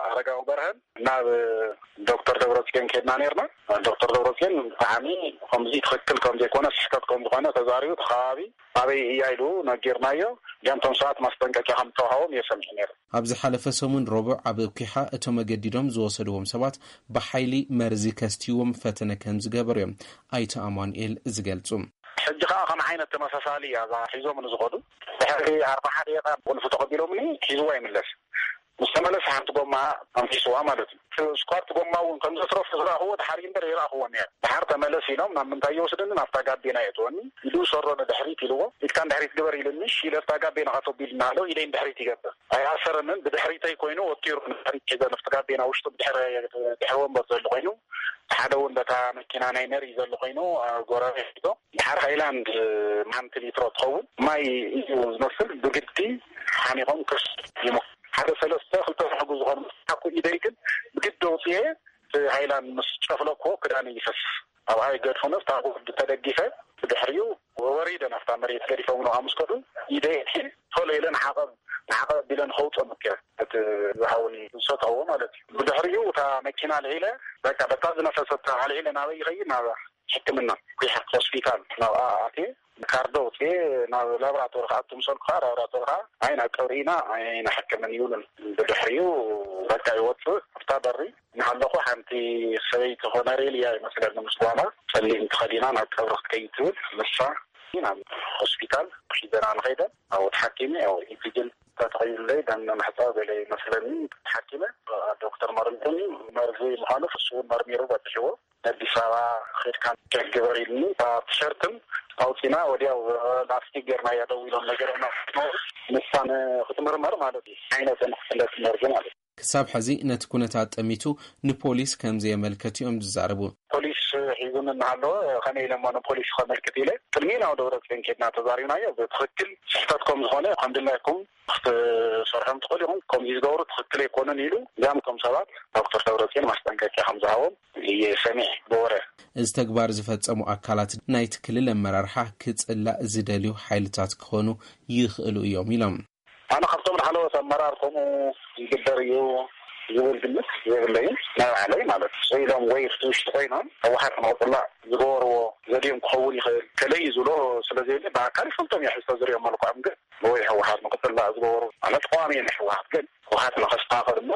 ኣረጋዊ በርሀን ናብ ዶክተር ደብረጽዮን ከድና ነርና። ዶክተር ደብረጽዮን ብጣዕሚ ከምዚ ትኽክል ከም ዘይኮነ፣ ስሕተት ከም ዝኾነ ተዛሪቡ፣ እቲ ከባቢ ኣበይ እያ ኢሉ ነጊርናዮ። እዚኣም ቶም ሰባት ማስጠንቀቂያ ከም ተዋሃቦም እየ ሰሚዐ ነይረ። ኣብ ዝሓለፈ ሰሙን ረቡዕ ኣብ ኩሓ እቶም ኣገዲዶም ዝወሰድዎም ሰባት ብሓይሊ መርዚ ከስትይዎም ፈተነ ከም ዝገበሩ እዮም ኣይተ ኣማኑኤል ዝገልጹ። ሕጂ ከዓ ከም ዓይነት ተመሳሳሊ እያ እዛ ሒዞም ንዝኸዱ። ድሕሪ ኣርባዓ ደቂቃ ቁልፊ ተቐቢሎምኒ፣ ሒዝዋ ይምለስ። ምስ ተመለሰ ሓንቲ ጎማ ኣምሒስዋ ማለት እዩ። ስኳርት ጎማ እውን ከም ዘትረፉ ዝረእኽዎ ድሓር እምበር ይረእኽዎ ነይረ። ድሓር ተመለስ ኢሎም ናብ ምንታይ ይወስድኒ? ናብታ ጋቤና የእትወኒ። ኢዱ ሰሮ ንድሕሪት ኢልዎ። ኢድካ ንድሕሪት ግበር ኢልኒ። እሺ ኢለ ኣብታ ጋቤና ከቶ ቢልና ኣሎ። ኢደይ ንድሕሪት ይገብር። ኣይኣሰረንን። ብድሕሪተይ ኮይኑ ወጢሩ ንድሕሪት ሒዘ ናብቲ ጋቤና ውሽጡ ብድሕሪ ድሕሪ ወንበር ዘሎ ኮይኑ፣ ሓደ እውን በታ መኪና ናይ መሪ ዘሎ ኮይኑ፣ ኣብ ጎረቤት ሒዞ። ድሓር ሃይላንድ ሓንቲ ሊትሮ ትኸውን ማይ እዩ ዝመስል። ብግዲ ሓኒቖም ክስ ይሞ ሓደ ሰለስተ ክልተ ዝሕጉ ዝኾኑ ሓኩ ኢደይ ግን ብግዲ ኣውፅኤ እቲ ሃይላንድ ምስ ጨፍለኩዎ ክዳን ይፈስ። ኣብኣ ይገድፉ። ነፍታ ጉድ ተደጊፈ ብድሕሪኡ ወሪደ ናፍታ መሬት ገዲፎም ንዓ ምስ ከዱ ኢደይ ቶሎ ኢለ ንዓቐብ ንዓቐብ ቢለ ንኸውፅኦ መኪረ እቲ ዝሃውኒ ዝሰትዎ ማለት እዩ። ብድሕሪኡ እታ መኪና ልዒለ በቃ በታ ዝነፈሰት ኣልዒለ ናበይ ይኸይድ ናብ ሕክምና ኩሓ ሆስፒታል ናብኣ ኣትየ ካርዶ ኣውፅኤ ናብ ላብራቶሪ ክኣቱ ምሰልኩ ከዓ ላብራቶሪ ከዓ ኣይ ናብ ቀብሪ ኢና ኣይንሕክምን ይብሉን። ብድሕሪኡ በቃ ይወፅእ ኣብታ በሪ እናሃለኹ ሓንቲ ሰበይቲ ኮነሬል እያ ይመስለኒ ምስ ጓላ ፀሊም ተኸዲና ናብ ቀብሪ ክትከይድ ትብል ንሳ ናብ ሆስፒታል ሒዘና ንኸይደ ኣብኡ ተሓኪመ ያው ኢንቲጅን ተተኸይለይ ደም ምሕፃብ ገለ ይመስለኒ ተሓኪመ ዶክተር መርምሩኒ መርዚ ምዃኑ ፍስውን መርሚሩ በፅሕዎ ኣዲስ ኣበባ ኸድካ ቸክ ግበር ኢልኒ እታ ቲሸርትን ኣውፂና ወዲያው ላስቲክ ጌርና እያ ደው ኢሎም ነገርና ንሳን ክትምርመር ማለት እዩ ዓይነትን ክፍለት መርዚ ማለት እዩ። ክሳብ ሕዚ ነቲ ኩነታት ጠሚቱ ንፖሊስ ከም ዘየመልከት እዮም ዝዛረቡ። ፖሊስ ሒዙኒ እናሃለወ ከመይ ኢለ እሞ ንፖሊስ ከመልክት ኢለ ቅድሚ ናብ ደብረፅዮን ኬድና ተዛሪብናዮ ብትኽክል ስሕተት ከም ዝኾነ ከም ድላይኩም ክትሰርሖም ትኽእሉ ኢኹም ከምዚ ዝገብሩ ትኽክል ኣይኮኑን ኢሉ እዚኣም እቶም ሰባት ዶክተር ደብረፅዮን ማስጠንቀቂያ ከም ዝሃቦም እየ ሰሚዐ ብወረ። እዚ ተግባር ዝፈጸሙ ኣካላት ናይቲ ክልል ኣመራርሓ ክጽላእ ዝደልዩ ሓይልታት ክኾኑ ይኽእሉ እዮም ኢሎም። ኣነ ካብቶም ላዕለዎት ኣመራር ከምኡ ይግበር እዩ ዝብል ግምት የብለይን ናይ ባዕለይ ማለት እዩ ኢሎም ወይ እቲ ውሽጢ ኮይኖም ህወሓት ንክፅላእ ዝገበርዎ ዘድዮም ክኸውን ይኽእል ከለይ ዝብሎ ስለዘየለ ብኣካል ይፈልጦም እየ ሕዝቶ ዝሪኦም መልክዖም ግን ወይ ህወሓት ንክፅላእ ዝገበሩ ማለት ተቃዋሚ ናይ ህወሓት ግን ህወሓት ንከስተካከል እሞ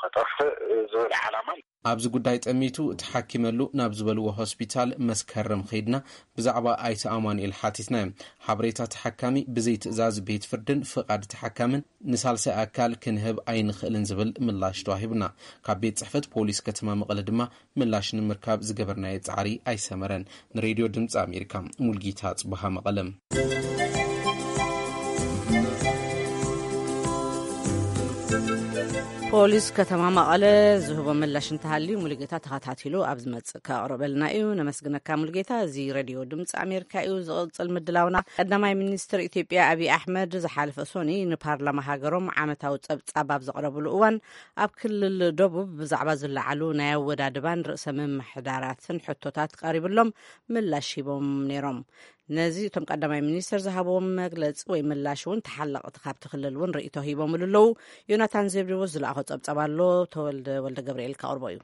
ከጠፍእ ዝብል ዓላማ ኣብዚ ጉዳይ ጠሚቱ ተሓኪመሉ ናብ ዝበልዎ ሆስፒታል መስከረም ኸይድና ብዛዕባ ኣይተ ኣማኑኤል ሓቲትናዮም። ሓበሬታ ተሓካሚ ብዘይ ትእዛዝ ቤት ፍርድን ፍቓድ ተሓካምን ንሳልሳይ ኣካል ክንህብ ኣይንኽእልን ዝብል ምላሽ ተዋሂቡና። ካብ ቤት ጽሕፈት ፖሊስ ከተማ መቐለ ድማ ምላሽ ንምርካብ ዝገበርናዮ ጻዕሪ ኣይሰመረን። ንሬድዮ ድምፂ ኣሜሪካ ሙልጌታ ጽቡሃ መቐለ። ፖሊስ ከተማ መቐለ ዝህቦ ምላሽ እንተሃልዩ ሙሉጌታ ተኸታቲሉ ኣብ ዝመጽእ ከቕርበልና እዩ። ነመስግነካ ሙሉጌታ። እዚ ሬድዮ ድምፂ ኣሜሪካ እዩ። ዝቕጽል ምድላውና ቀዳማይ ሚኒስትር ኢትዮጵያ ኣብይ ኣሕመድ ዝሓለፈ ሶኒ ንፓርላማ ሃገሮም ዓመታዊ ጸብጻብ ኣብ ዘቕረብሉ እዋን ኣብ ክልል ደቡብ ብዛዕባ ዝለዓሉ ናይ ኣወዳድባን ርእሰ ምምሕዳራትን ሕቶታት ቀሪብሎም ምላሽ ሂቦም ነይሮም። ነዚ እቶም ቀዳማይ ሚኒስትር ዝሃብዎም መግለፂ ወይ ምላሽ እውን ተሓለቕቲ ካብቲ ክልል እውን ርእይቶ ሂቦምሉ ኣለዉ። ዮናታን ዘብዴዎስ ዝለኣኾ ፀብፀብ ኣሎ፣ ተወልደ ወልደ ገብርኤል ከቕርቦ እዩ።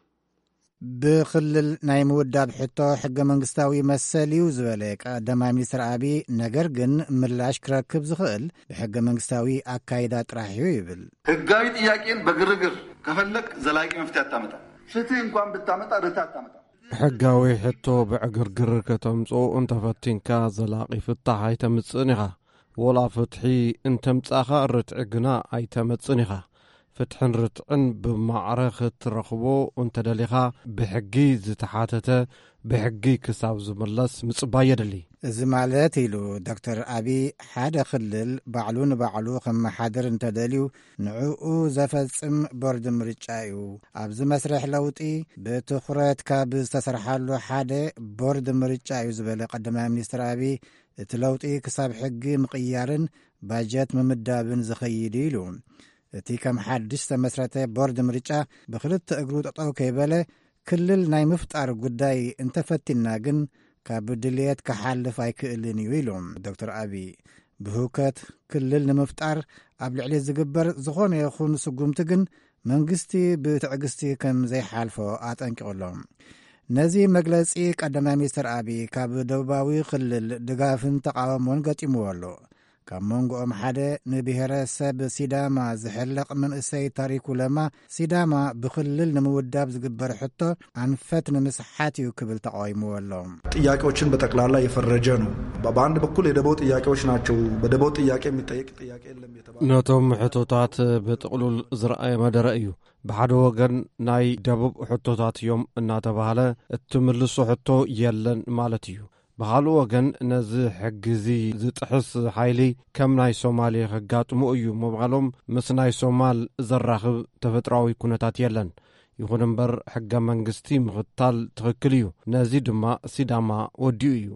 ብክልል ናይ ምውዳብ ሕቶ ሕገ መንግስታዊ መሰል እዩ ዝበለ ቀዳማይ ሚኒስትር ኣብይ፣ ነገር ግን ምላሽ ክረክብ ዝኽእል ብሕገ መንግስታዊ ኣካይዳ ጥራሕ እዩ ይብል። ህጋዊ ጥያቄን በግርግር ከፈለግ ዘላቂ መፍትሄ ኣታመጣ። ፍትህ እንኳን ብታመጣ ርትዕ ኣታመጣ። ሕጋዊ ሕቶ ብዕግርግር ከተምጽኦ እንተፈቲንካ፣ ዘላቒ ፍታሕ ኣይተምጽእን ኢኻ። ወላ ፍትሒ እንተምጻእኻ፣ ርትዒ ግና ኣይተመጽእን ኢኻ። ፍትሕን ርትዕን ብማዕረ ክትረኽቦ እንተደሊኻ፣ ብሕጊ ዝተሓተተ ብሕጊ ክሳብ ዝምለስ ምጽባይ የድሊ። እዚ ማለት፣ ኢሉ ዶክተር ኣቢ፣ ሓደ ክልል ባዕሉ ንባዕሉ ከመሓድር እንተደልዩ፣ ንዕኡ ዘፈጽም ቦርድ ምርጫ እዩ። ኣብዚ መስርሕ ለውጢ ብትኹረት ካብ ዝተሰርሓሉ ሓደ ቦርድ ምርጫ እዩ ዝበለ ቀዳማይ ሚኒስትር ኣቢ፣ እቲ ለውጢ ክሳብ ሕጊ ምቕያርን ባጀት ምምዳብን ዝኸይድ እዩ ኢሉ። እቲ ከም ሓድሽ ዝተመስረተ ቦርድ ምርጫ ብኽልተ እግሩ ጠጠው ከይበለ ክልል ናይ ምፍጣር ጉዳይ እንተፈቲና ግን ካብ ድልየት ክሓልፍ ኣይክእልን እዩ ኢሉ ዶክተር ኣቢ። ብህውከት ክልል ንምፍጣር ኣብ ልዕሊ ዝግበር ዝኾነ ይኹን ስጉምቲ ግን መንግስቲ ብትዕግስቲ ከም ዘይሓልፎ ኣጠንቂቑ ኣሎ። ነዚ መግለጺ ቀዳማይ ሚኒስትር ኣቢ ካብ ደቡባዊ ክልል ድጋፍን ተቓውሞን ገጢምዎ ኣሎ። ካብ መንጎኦም ሓደ ንብሔረሰብ ሲዳማ ዝሕለቕ መንእሰይ ታሪኩ ለማ፣ ሲዳማ ብክልል ንምውዳብ ዝግበር ሕቶ ኣንፈት ንምስሓት እዩ ክብል ተቃዊምዎ ኣሎ። ጥያቄዎችን በጠቅላላ የፈረጀ ነው። በ-፣ በአንድ በኩል የደቦ ጥያቄዎች ናቸው። በደቦ ጥያቄ የሚጠየቅ ጥያቄ የለም የተባለ ነቶም ሕቶታት ብጥቕሉል ዝረኣየ መደረ እዩ። ብሓደ ወገን ናይ ደቡብ ሕቶታት እዮም እናተባህለ፣ እትምልሶ ሕቶ የለን ማለት እዩ። ብኻልእ ወገን ነዚ ሕጊ እዚ ዝጥሕስ ሓይሊ ከም ናይ ሶማሌ ከጋጥሞ እዩ ምባሎም ምስ ናይ ሶማል ዘራኽብ ተፈጥሮኣዊ ኩነታት የለን። ይኹን እምበር ሕገ መንግስቲ ምኽታል ትኽክል እዩ። ነዚ ድማ ሲዳማ ወዲኡ እዩ።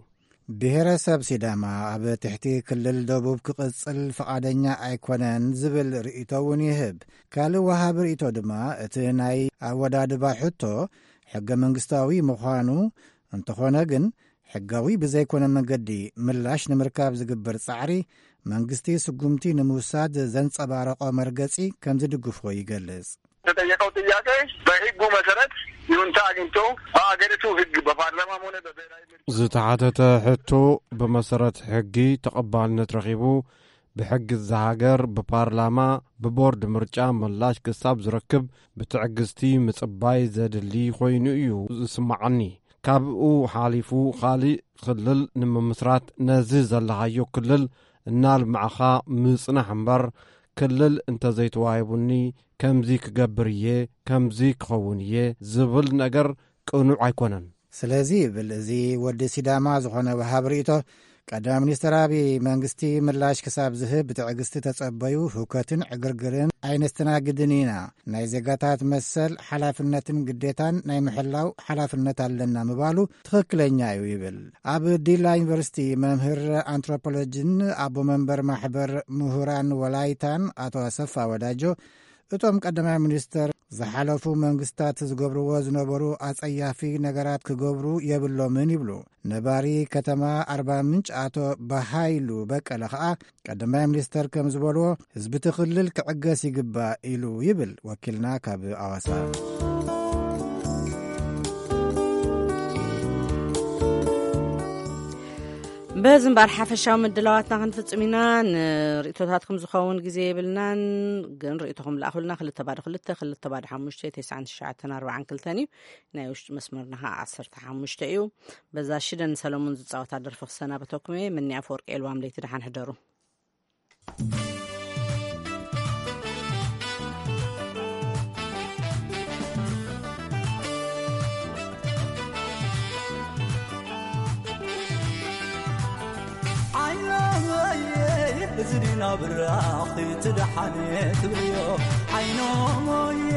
ብሔረሰብ ሲዳማ ኣብ ትሕቲ ክልል ደቡብ ክቕጽል ፍቓደኛ ኣይኮነን ዝብል ርእይቶ እውን ይህብ። ካልእ ወሃቢ ርእይቶ ድማ እቲ ናይ ኣወዳድባ ሕቶ ሕገ መንግስታዊ ምዃኑ፣ እንተኾነ ግን ሕጋዊ ብዘይኮነ መንገዲ ምላሽ ንምርካብ ዝግበር ጻዕሪ መንግስቲ ስጉምቲ ንምውሳድ ዘንጸባረቖ መርገጺ ከም ዝድግፎ ይገልጽ። የተጠየቀው ጥያቄ በህጉ መሰረት ይሁንታ አግኝቶ በአገሪቱ ህግ በፓርላማም ሆነ በብሔራዊ ምርጫ ዝተሓተተ ሕቶ ብመሰረት ሕጊ ተቐባልነት ረኺቡ ብሕጊ እዛ ሃገር ብፓርላማ ብቦርድ ምርጫ ምላሽ ክሳብ ዝረክብ ብትዕግስቲ ምጽባይ ዘድሊ ኮይኑ እዩ ዝስማዓኒ። ካብኡ ሓሊፉ ካልእ ክልል ንምምስራት ነዚ ዘለኻዮ ክልል እናልማዕኻ ምጽናሕ እምበር፣ ክልል እንተዘይተዋሂቡኒ ከምዚ ክገብር እየ፣ ከምዚ ክኸውን እየ ዝብል ነገር ቅኑዕ ኣይኮነን። ስለዚ ይብል እዚ ወዲ ሲዳማ ዝኾነ ወሃብ ርእይቶ፣ ቀዳማይ ሚኒስትር ኣቢ መንግስቲ ምላሽ ክሳብ ዝህብ ብትዕግስቲ ተጸበዩ፣ ህውከትን ዕግርግርን ኣይነስተናግድን ኢና። ናይ ዜጋታት መሰል ሓላፍነትን ግዴታን ናይ ምሕላው ሓላፍነት ኣለና ምባሉ ትኽክለኛ እዩ ይብል። ኣብ ዲላ ዩኒቨርሲቲ መምህር ኣንትሮፖሎጂን ኣቦ መንበር ማሕበር ምሁራን ወላይታን ኣቶ ኣሰፋ ወዳጆ፣ እቶም ቀዳማይ ሚኒስተር ዝሓለፉ መንግስታት ዝገብርዎ ዝነበሩ ኣጸያፊ ነገራት ክገብሩ የብሎምን ይብሉ። ነባሪ ከተማ ኣርባ ምንጭ ኣቶ በሃይሉ በቀለ ኸኣ ቀዳማይ ሚኒስተር ከም ዝበልዎ ህዝቢ እቲ ክልል ክዕገስ ይግባእ ኢሉ ይብል ወኪልና ካብ ኣዋሳ። በዚ እምበር ሓፈሻዊ ምድላዋትና ክንፍጽም ኢና። ንርእቶታትኩም ዝኸውን ግዜ የብልናን፣ ግን ርእቶኹም ልኣኹልና። ክልተ ባዶ ክልተ፣ ክልተ ባዶ ሓሙሽተ፣ ተስዓን ትሽዓተን ኣርባዓን ክልተን እዩ። ናይ ውሽጢ መስመርና ኸዓ ዓሰርተ ሓሙሽተ እዩ። በዛ ሽደን ሰለሙን ዝጻወታ ደርፊ ክሰናበተኩም እየ። ምኒ ኣፈወርቂ ኤልዋም ለይቲ ደሓን ሕደሩ። ዓይኖመየ፣ እዚ ድዩ ናብ ራኺ ትደሓን ትብልዮ? ዓይኖመየ፣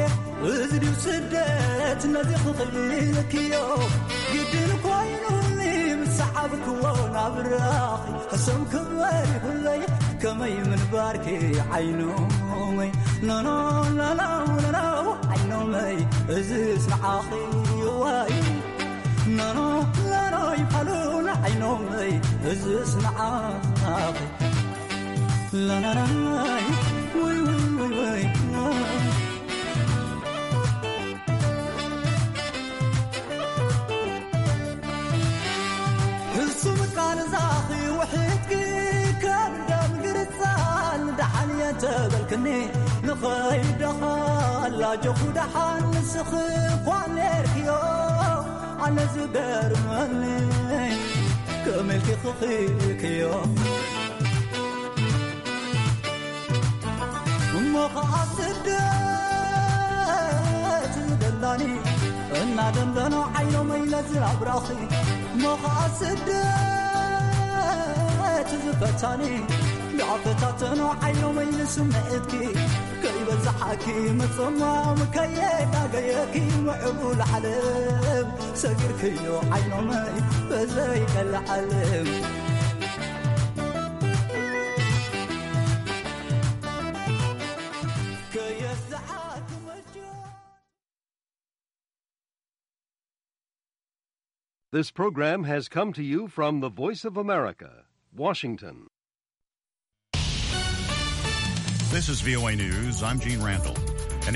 እዚ ድዩ ስደት ነዚ ክኽልክዮ? ግድን ኮይኑኒ ምስ ሰዓብክዎ ናብ ራኺ ሕሱም ክበሪ ሁለይ ከመይ ምንባርኪ ዓይኖመይ? ኖኖ ኖኖ ኖኖ ዓይኖመይ እዝስ ንዓኺ ዋይ። ኖኖ ኖኖ ይፋሉን ዓይኖመይ እዝስ ንዓኺ። ላላላይ ወይ ወይ ወይ ወይ። ሕሱም ቃል ዛኺ ውሕድኪ ከም ደም ግርጻን ደሓን እየ ተበልክኒ ንኸይደኻ ላጆኹ ደሓን ንስኺ እኳ ኔርክዮ። ኣነ ዝገርመኒ ከመልኪ ክኽክዮ እሞ ኸዓ ስደት ዝደላኒ እናደንደኖ ዓይኖመይ ነዚ ኣብራኺ እሞ ኸዓ ስደት ዝፈታኒ ዳፈታተኖ ዓይኖመይ ንስምዒትኪ ከይበዛሓኪ ምጽማም ከየጋገየኪ ምዕቡል ዓለም ሰጊርክዮ ዓይኖመይ በዘይቀልዓለም ከየስዓክ መጆ This program has come to you from the Voice of America, Washington. This is V O A News. I'm Gene Randall.